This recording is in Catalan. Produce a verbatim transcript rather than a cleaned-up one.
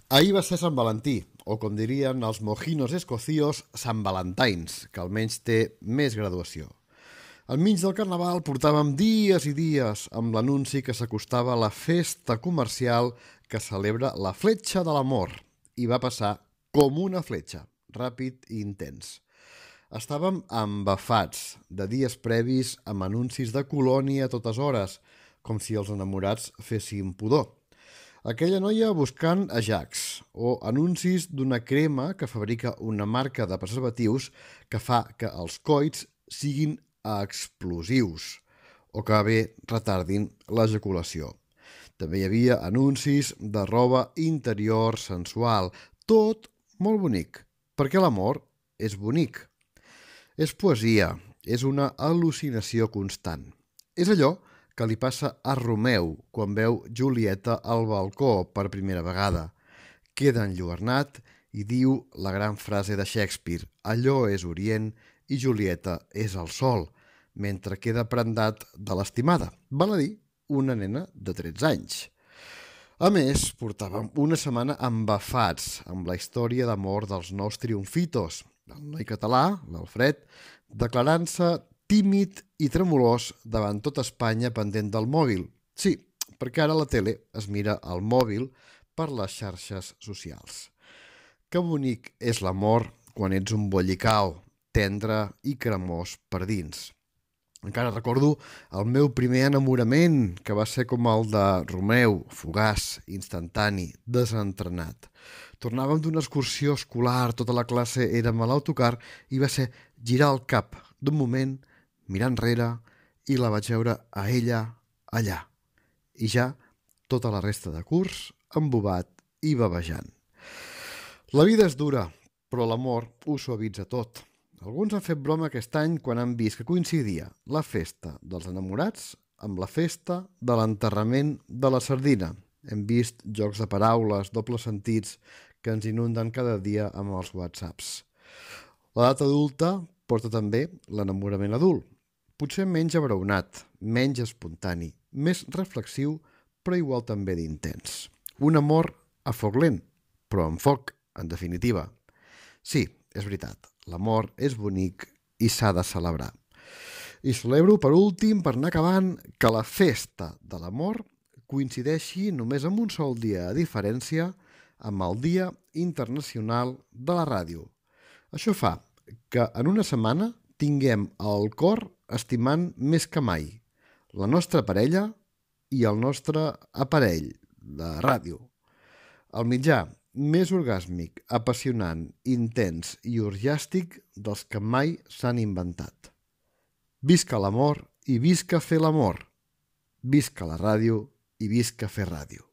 Ahir va ser Sant Valentí, o com dirien els mojinos escocios, Sant Valentines, que almenys té més graduació. Al mig del Carnaval portàvem dies i dies amb l'anunci que s'acostava la festa comercial que celebra la Fletxa de l'Amor, i va passar com una fletxa, ràpid i intens. Estàvem embafats de dies previs amb anuncis de colònia a totes hores, com si els enamorats fessin pudor. Aquella noia buscant ajax, o anuncis d'una crema que fabrica una marca de preservatius que fa que els coits siguin explosius o que bé retardin l'ejaculació. També hi havia anuncis de roba interior sensual, tot molt bonic, perquè l'amor és bonic. És poesia, és una al·lucinació constant. És allò que li passa a Romeu quan veu Julieta al balcó per primera vegada. Queda enlluernat i diu la gran frase de Shakespeare: allò és Orient i Julieta és el sol, mentre queda prendat de l'estimada, val a dir, una nena de tretze anys. A més, portàvem una setmana embafats amb la història d'amor dels nous triomfitos, el noi català, l'Alfred, declarant-se tímid i tremolós davant tot Espanya pendent del mòbil. Sí, perquè ara la tele es mira al mòbil per les xarxes socials. Que bonic és l'amor quan ets un bollicau, tendre i cremós per dins. Encara recordo el meu primer enamorament, que va ser com el de Romeu, fugaç, instantani, desentrenat. Tornàvem d'una excursió escolar, tota la classe érem a l'autocar i va ser girar el cap d'un moment, mirar enrere, i la vaig veure a ella allà. I ja tota la resta de curs embobat i babejant. La vida és dura, però l'amor ho suavitza tot. Alguns han fet broma aquest any quan han vist que coincidia la festa dels enamorats amb la festa de l'enterrament de la sardina. Hem vist jocs de paraules, dobles sentits, que ens inunden cada dia amb els whatsapps. L'edat adulta porta també l'enamorament adult. Potser menys abraonat, menys espontani, més reflexiu, però igual també d'intens. Un amor a foc lent, però amb foc, en definitiva. Sí, és veritat, l'amor és bonic i s'ha de celebrar. I celebro, per últim, per anar acabant, que la festa de l'amor coincideixi només amb un sol dia de diferència amb el Dia Internacional de la Ràdio. Això fa que en una setmana tinguem el cor estimant més que mai la nostra parella i el nostre aparell de ràdio. El mitjà més orgàsmic, apassionant, intens i orgiàstic dels que mai s'han inventat. Visca l'amor i visca fer l'amor. Visca la ràdio i visca fer ràdio.